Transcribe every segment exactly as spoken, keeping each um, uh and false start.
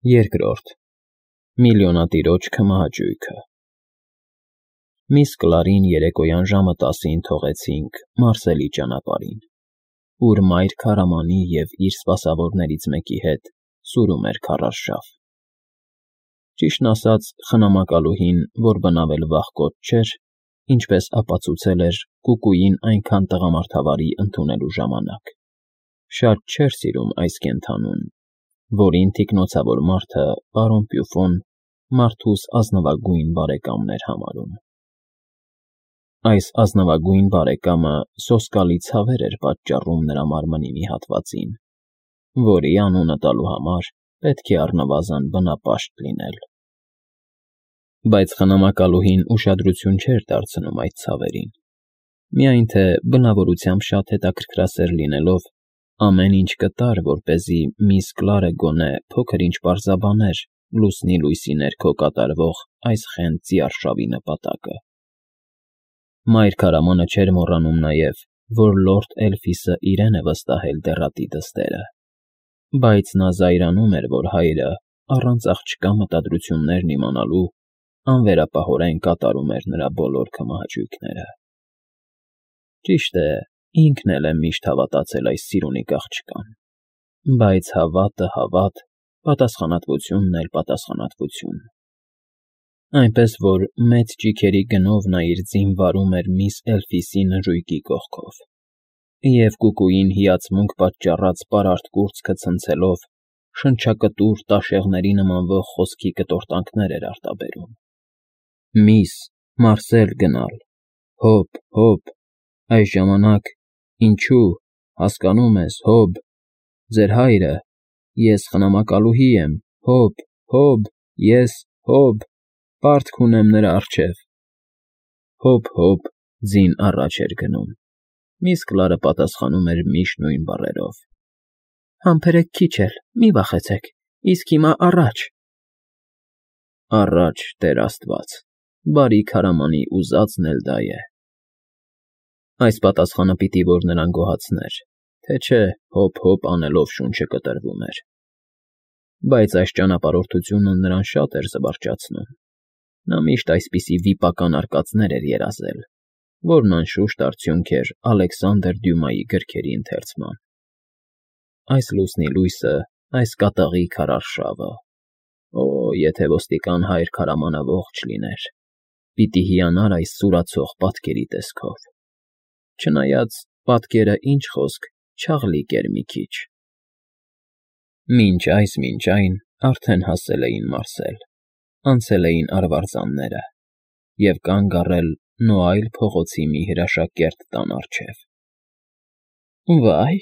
Երկրորդ Միլիոնատիրոջ քմահաճույքը Միս Կլարին երեկոյան ժամը տասին թողեցինք Մարսելի ճանապարհին, ուր մայր քարամանի և իր սպասավորներից մեկի հետ սուրում էր քարարշավ։ Ճիշտն ասած, խնամակալուհին, որ բնավել վախկոտ չէր, ինչպես ապացուցել էր կուկուին այնքան տղամարդավարի ընդունելու ժամանակ, շատ չէր սիրում այս կենդանուն, որին թիկնոցավոր մարդը պարոն Պյուֆոն մարդուս ազնվագույն բարեկամն էր համարում։ Այս ազնվագույն բարեկամը սոսկալի ցավեր էր պատճառում նրա մարմնի մի հատվածին, որի անունը տալու համար պետք է առնվազն բնապաշտ լինել։ Բայց խնամակալուհին ուշադրություն չէր դարձնում այդ ցավերին, միայն թե բնավորությամբ շատ հետաքրքրասեր լինելով ամեն ինչ կտար, որպեսզի միս Կլարը գոնե փոքր-ինչ պարզաբաներ լուսնի լույսի ներքո կատարվող այս խենթ ծիարշավի նպատակը։ Մայր քարամանը չէր մոռանում նաև, որ լորդ Էլֆիսը իրեն է վստահել դեռատի դստերը, բայց նա զայրանում էր, որ հայրը, առանց աղջկա մտադրություններն իմանալու, անվերապահորեն կատարում էր նրա բոլոր քմահաճույքները։ Ճիշտ է, ինքն էլ է միշտ հավատացել այս սիրունիկ աղջկան, բայց հավատը հավատ, պատասխանատվությունն էլ պատասխանատվություն։ Այնպես որ մեծ ճիգերի գնով նա իր ձին վարում էր միս Էլֆիսի նժույգի կողքով, և կուկուին հիացմունք պատճառած պարարտ կուրծքը ցնցելով շնչակտուր տաշեղների նմանվող խոսքի կտորտանքներ էր արտաբերում. Միս, Մարսել գնալ, հոբ, հոբ, այս ժամանակ, ինչու, հասկանո՞ւմ ես, հոբ, ձեր հայրը, ես խնամակալուհի եմ, հոբ, հոբ, ես, հոբ, պարտք ունեմ նրա առջև։ Հոբ, հոբ, ձին առաջ էր գնում, միս Կլարը պատասխանում էր միշտ նույն բառերով. Համբերեք քիչ էլ, մի վախեցեք, իսկ հիմա առաջ։ Առաջ, Տեր Աստված, բարի քարամանի ուզածն էլ դա է։ Այս պատասխանը պիտի որ նրան գոհացներ, թե չէ հոբ֊հոբ անելով շունչը կտրվում էր։ Բայց այս ճանապարհորդությունը նրան շատ էր զվարճացնում։ Նա միշտ այսպիսի վիպական արկածներ էր երազել, որն անշուշտ արդյունք էր Ալեքսանդր Դյումայի գրքերի ընթերցման։ Այս լուսնի լույսը, այս կատաղի քարարշավը… Օ, եթե ոստիկան հայր քարամանը ողջ լիներ, պիտի հիանար այս սուրացող պատկերի տեսքով, չնայած պատկերը, ինչ խոսք, չաղլիկ էր մի քիչ։ Մինչ այս, մինչ այն արդեն հասել էին Մարսել, անցել էին արվարձանները և կանգ առել Նոայլ փողոցի մի հրաշակերտ տան առջև։ Վա՜յ,֊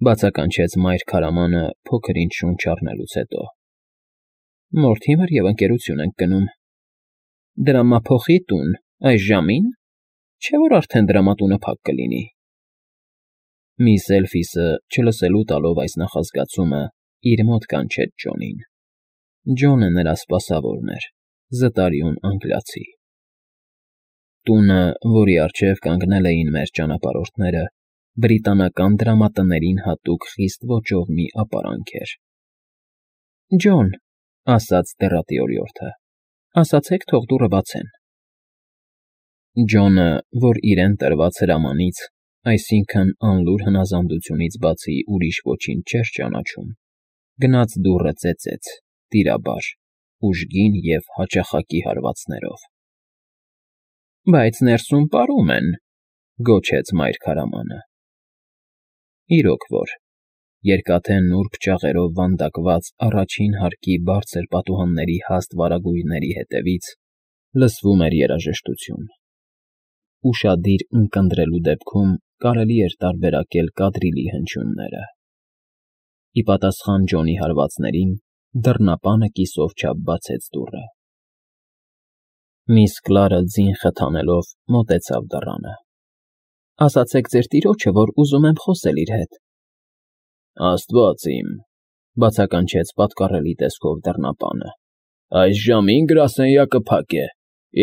բացականչեց մայր քարամանը փոքր-ինչ շունչ առնելուց հետո։ Մորթիմր և ընկերություն ենք գնում։ Դրամափոխի տուն, այս ժամին, չէ՞ որ արդեն դրամատունը փակ կլինի։ Միս Էլֆիսը, չլսելու տալով այս նախազգացումը, իր մոտ կանչեց Ջոնին։ Ջոնը նրա սպասավորն էր, զտարյուն անգլիացի։ Տունը, որի առջև կանգնել էին մեր ճանապարհորդները, բրիտանական դրամատներին հատուկ խիստ ոճով մի ապարանք էր։ Ջոն, ասաց դեռատի օրիորդը, ասացեք թող դուռը բացեն։ Ջոնը, որ իրեն տրված հրամանից, այսինքն անլուր հնազանդությունից բացի ուրիշ ոչինչ չէր ճանաչում, գնաց դուռը ծեծեց, տիրաբար, ուժգին և հաճախակի հարվածներով։ Բայց ներսում պարում են,֊ գոչեց մայր քարամանը։ Իրոք որ, երկաթե նուրբ ճաղերով վանդակված առաջին հարկի բարձր պատուհանների հաստ վարագույրների ետևից լսվում էր երաժշտություն։ Ուշադիր ունկնդրելու դեպքում կարելի էր տարբերակել կադրիլի հնչյունները։ Ի պատասխան Ջոնի հարվածներին դռնապանը կիսով չափ բացեց դուռը։ Միս Կլարը ձին խթանելով մոտեցավ դռանը։ Ասացեք ձեր տիրոջը, որ ուզում եմ խոսել իր հետ։ Աստված իմ,֊ բացականչեց պատկառելի տեսքով դռնապանը, այս ժամին գրասենյակը փակ է,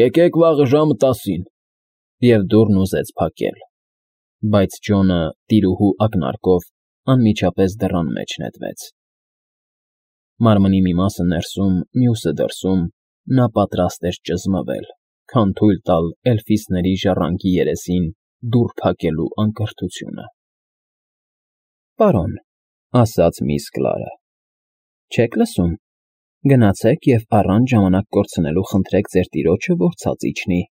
եկեք վաղը ժամը տասին։ Եվ դուռն ուզեց փակել, բայց Ջոնը տիրուհու ակնարկով անմիջապես դռան մեջ նետվեց։ Մարմնի մի մասը ներսում, մյուսը դրսում, նա պատրաստ էր ճզմվել, քան թույլ տալ էլֆիսների ժառանգի երեսին դուռ փակելու անկրթությունը։ ֊ Պարոն,֊ ասաց միս Կլարը,֊ չե՞ք լսում. գնացեք և առանց ժամանակ կորցնելու խնդրեք ձեր տիրոջը, որ ցած իջնի։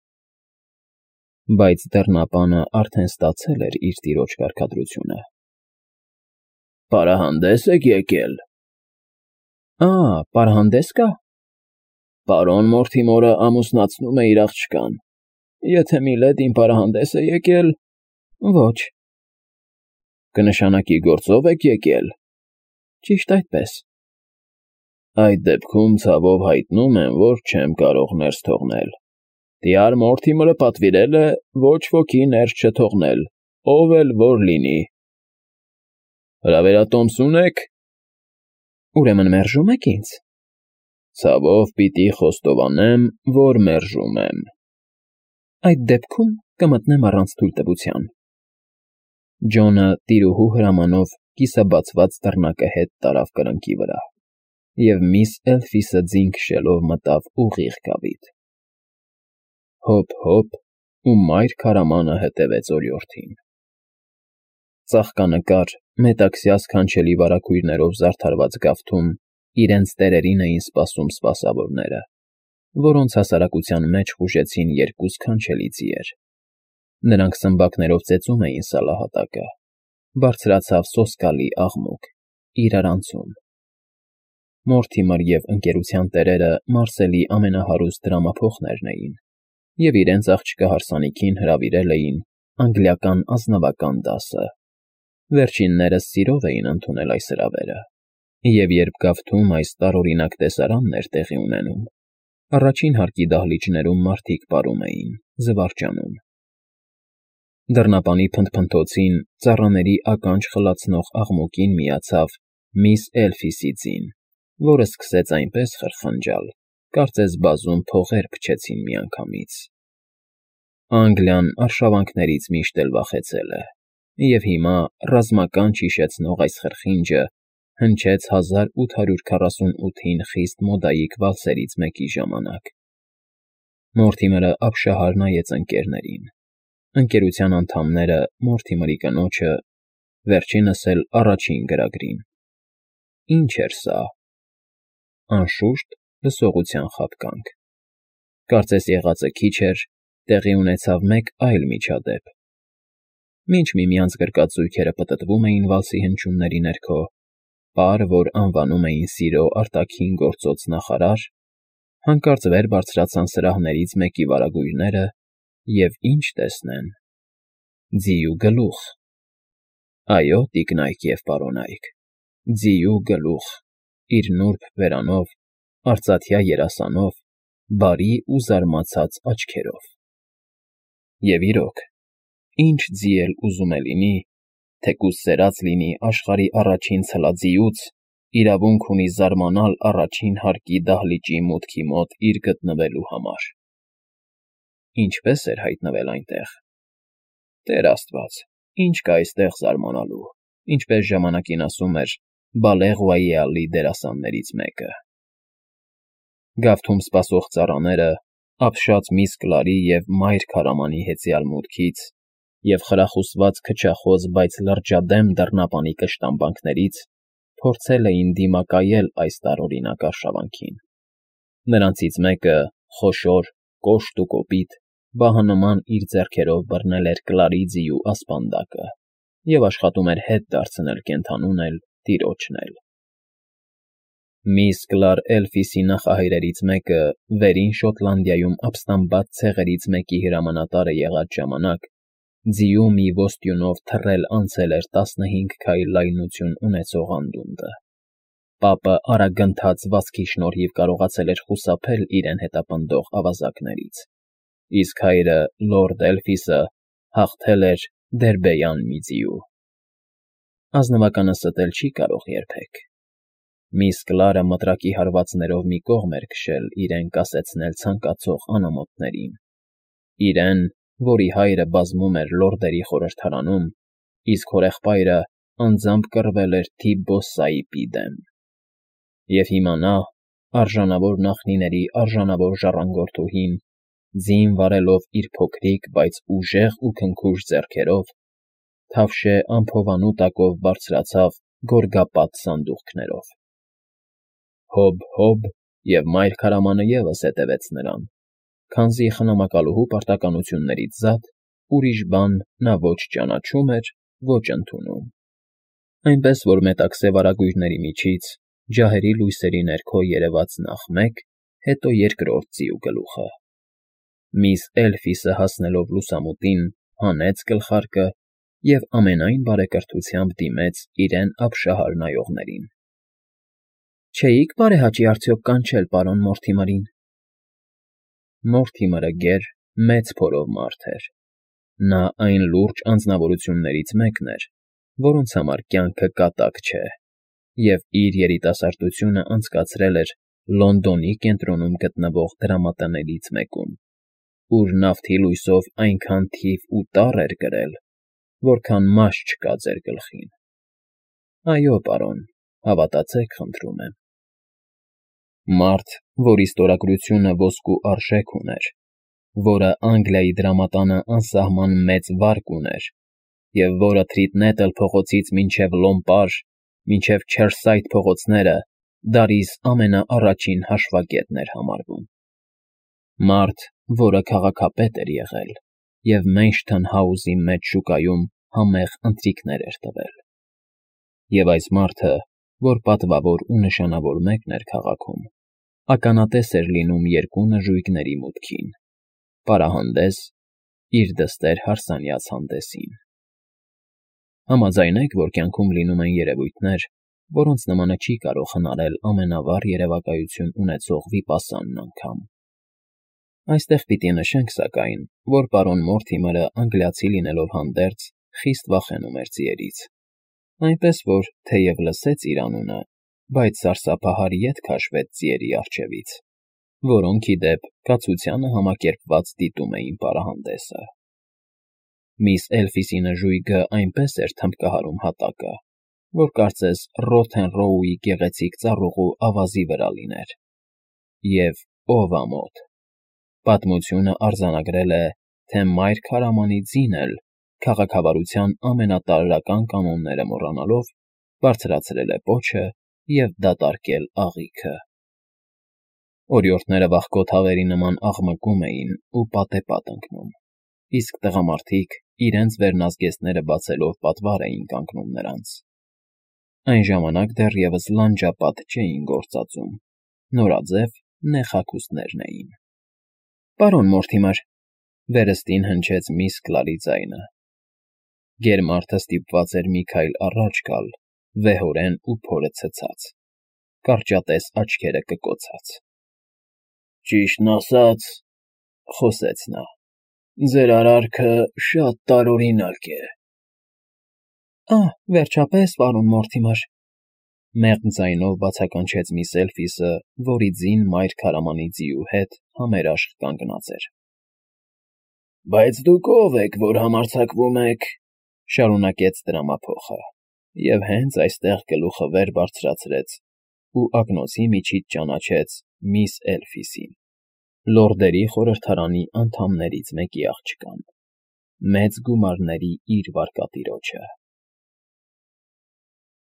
Բայց դռնապանը արդեն ստացել էր իր տիրոջ կարգադրությունը։ ֊ Պարահանդես եք եկել։ ֊ Ա, պարահանդես կա։ Պարոն Մորթիմորը ամուսնացնում է իր աղջկան։ Եթե Միլեդին իմ պարահանդես է եկել… Ոչ։ ֊ Կնշանակի գործով եք եկել։ ֊ Ճիշտ այդպես։ ֊ Այդ դեպքում ցավով հայտնում եմ, որ չեմ կարող ներս թողնել։ Տյար Մորթիմորը պատվիրել է ոչ ոքի ներս չթողնել, ով էլ որ լինի։ ֊ Հրավերատոմս ունե՞ք։ ֊ Ուրեմն մերժում եք ինձ։ ֊ Ցավով պիտի խոստովանեմ, որ մերժում եմ։ ֊ Այդ դեպքում կմտնեմ առանց թույլտվության։ Ջոնը տիրուհու հրամանով կիսաբացված դռնակը հետ տարավ կրկնակի վրա, և միս Էլֆիսը ձին քշելով մտավ ուղիղ կապիտ։ Հոբ֊հոբ, ու մայր քարամանը հետևեց օրիորդին։ Ծաղկանկար, մետաքսյա սքանչելի վարագույրներով զարդարված գավթում իրենց տերերին էին սպասում սպասավորները, որոնց հասարակության մեջ խուժեցին երկու սքանչելի ձիեր։ Նրանք սմբակներով ծեծում էին սալահատակը, բարձրացավ սոսկալի աղմուկ, իրարանցում։ Մորթիմեր և ընկերության տերերը Մարսելի ամենահարուստ դրամափոխներն էին և իրենց աղջկա հարսանիքին հրավիրել էին անգլիական ազնվական դասը։ Վերջիններս սիրով էին ընդունել այս հրավերը, և երբ գավթում այս տարօրինակ տեսարանն էր տեղի ունենում, առաջին հարկի դահլիճներում մարդիկ պարում էին, զվարճանում։ Դռնապանի փնթփնթոցին, ծառաների ականջ խլացնող աղմուկին միացավ միս Էլֆիսի ձին, որը սկսեց այնպես խրխնջալ, կարծես բազում փողեր փչեցին միանգամից։ Անգլիան արշավանքներից միշտ էլ վախեցել է, և հիմա ռազմականջ հիշեցնող այս խրխինջը հնչեց հազար ութ հարյուր քառասունութին խիստ մոդայիկ վալսերից մեկի ժամանակ։ Մորթիմերը ապշահար նայեց ընկերներին։ Ընկերության անդամները Մորթիմերի կնոջը, վերջինս էլ առաջին գրագրին։ Ի՞նչ էր սա։ Անշուշտ, լսողության խաբկանք։ Կարծես եղածը քիչ էր, տեղի ունեցավ մեկ այլ միջադեպ։ Մինչ միմյանց գրկած զույգերը պտտվում էին վալսի հնչյունների ներքո, պար, որ անվանում էին սիրո արտաքին գործոց նախարար, հանկարծ վեր բարձրացան սրահներից մեկի վարագույրները և ինչ տեսնեն… Ձիու գլուխ… Այո, տիկնայք և պարոնայք, ձիու գլուխ, իր նուրբ բերանով, արծաթյա երասանով, բարի ու զարմացած աչքերով։ Եվ իրոք, ինչ ձի էլ ուզում է լինի, թեկուզ սերած լինի աշխարհի առաջին ցլաձիուց, իրավունք ունի զարմանալ առաջին հարկի դահլիճի մուտքի մոտ իր գտնվելու համար։ Ինչպե՞ս էր հայտնվել այնտեղ։ Տեր աստված, ինչ կա այստեղ զարմանալու, ինչպես ժամանակին ասում էր Բալեղ֊Ռոյալի դերասաններից մեկը։ Գավթում սպասող ծառաները, ապշած միս Կլարի և մայր քարամանի հեծյալ մուտքից և խրախուսված քչախոս, բայց լրջադեմ դռնապանի կշտամբանքներից, փորձել էին դիմակայել այս տարօրինակ արշավանքին։ Նրանցից մեկը, խոշոր, կոշտ ու կոպիտ, վահանման իր ձեռքերով բռնել էր Կլարի ձիու ասպանդակը և աշխատում էր հետ դարձնել կենդանուն էլ, տիրոջն էլ։ Միս Կլար Էլֆիսի նախահայրերից մեկը Վերին Շոտլանդիայում ապստամբած ցեղերից մեկի հրամանատարը եղած ժամանակ ձիու մի ոստյունով թռել անցել էր տասնհինգ քայլ լայնություն ունեցող անդունդը։ Պապը արագընթաց վազքի շնորհիվ կարողացել էր խուսափել իրեն հետապնդող ավազակներից, իսկ հայրը՝ լորդ Էլֆիսը, հաղթել էր դերբեյան մի ձիու։ Ազնվականը ստել չի կարող երբեք։ Միս Կլարը մտրակի հարվածներով մի կողմ էր քշել իրեն կասեցնել ցանկացող անամոթներին, իրեն, որի հայրը բազմում էր լորդերի խորհրդարանում, իսկ հորեղբայրը անձամբ կռվել էր Թի Բոսսայիպի դեմ։ Եվ հիմա նա, արժանավոր նախնիների արժանավոր ժառանգորդուհին, ձին վարելով իր փոքրիկ, բայց ուժեղ ու քնքուշ ձեռքերով, թավշե անփովանու տակով բարձրացավ գորգապատ սանդուղքներով։ Հոբ, հոբ, և մայր քարամանը ևս հետևեց նրան, քանզի խնամակալուհու պարտականություններից զատ ուրիշ բան նա ոչ ճանաչում էր, ոչ ընդունում, այնպես որ մետաքսե վարագույրների միջից ջահերի լույսերի ներքո երևաց նախ մեկ, հետո երկրորդ ձիու գլուխը։ Միս Էլֆիսը հասնելով լուսամուտին, հանեց գլխարկը և ամենայն բարեկրթությամբ դիմեց իրեն ապշահար նայողներին։ ֊ Չէի՞ք բարեհաճի արդյոք կանչել պարոն Մորթիմերին։ Մորթիմերը գեր, մեծ փորով մարդ էր։ Նա այն լուրջ անձնավորություններից մեկն էր, որոնց համար կյանքը կատակ չէ, և իր երիտասարդությունը անցկացրել էր Լոնդոնի կենտրոնում գտնվող դրամատներից մեկում, ուր նավթի լույսով այնքան թիվ ու տառ էր կրել, որքան մաշ չկա ձեր գլխին։ Այո, պարոն, հավատացեք, խնդրում եմ։ Մարդ, որի ստորագրությունը ոսկու արժեք ուներ, որը Անգլիայի դրամատանը անսահման մեծ վարկ ուներ, և որը Թրիթնետլ փողոցից մինչև Լոմպար, մինչև Չերսայթ փողոցները Դարիս ամենաառաջին հաշվագետն էր համարվում։ Մարդ, որը քաղաքապետ էր եղել և Մեյնշթըն Հաուսի մեծ շուկայում համեղ ընթրիքներ էր տվել։ Եվ այս մարդը, որ պատվավոր ու նշանավոր մեկն էր քաղաքում, ականատես էր լինում երկու նժույգների մուտքին՝ պարահանդես, իր դստեր հարսանյաց հանդեսին։ Համաձայնեք, որ կյանքում լինում են երևույթներ, որոնց նմանը չի կարող հնարել ամենավառ երևակայություն ունեցող վիպասանն անգամ։ Այստեղ պիտի նշենք, սակայն, որ պարոն Մորթիմերը անգլիացի լինելով հանդերձ, խիստ վախենում էր ձիերից, այնպես որ, թեև լսեց իր անունը, բայց սարսափահար ետ քաշվեց ձիերի առջևից, որոնք, ի դեպ, կացությանը համակերպված դիտում էին պարահանդեսը։ Միս Էլֆիսի նժույգը այնպես էր թմբկահարում հատակը, որ կարծես Ռոթենռոուի գեղեցիկ ծառուղու ավազի վրա լիներ։ Եվ, ով ամոթ, պատմությունը արձանագրել է, թե մայր քարամանի ձին էլ, քաղաքավարության ամենատարրական կանոնները մոռանալով, բարձրացրել է պոչը և դատարկել աղիքը։ Օրիորդները վախկոտ հավերի նման աղմկում էին ու պատեպատ ընկնում, իսկ տղամարդիկ իրենց վերնազգեստները բացելով պատվար էին կանգնում նրանց։ Այն ժամանակ դեռևս լանջապատ չէին գործածում, նորաձև նեղ հագուստներն էին։ ֊ Պարոն Մորթիմեր,֊ վերստին հնչեց միս Կլարի ձայնը։ Գերմարդը ստիպված էր մի քայլ առաջ գալ, վեհորեն ու փորը ցցած, կարճատես աչքերը կկոցած։ ֊ Ճիշտն ասած,֊ խոսեց նա,֊ ձեր արարքը շատ տարօրինակ է։ ֊ Ահ, վերջապես, պարոն Մորթիմեր,֊ մեղմ ձայնով բացականչեց միս Էլֆիսը, որի ձին մայր քարամանի ձիու հետ համերաշխ կանգնած էր։ ֊ Բայց դուք ո՞վ եք, որ համարձակվում եք,֊ շարունակեց տրամափոխը, և հենց այստեղ գլուխը վեր բարձրացրեց ու ակնոցի միջից ճանաչեց միս Էլֆիսին, լորդերի խորհրդարանի անդամներից մեկի աղջկան, մեծ գումարների իր վարկատիրոջը։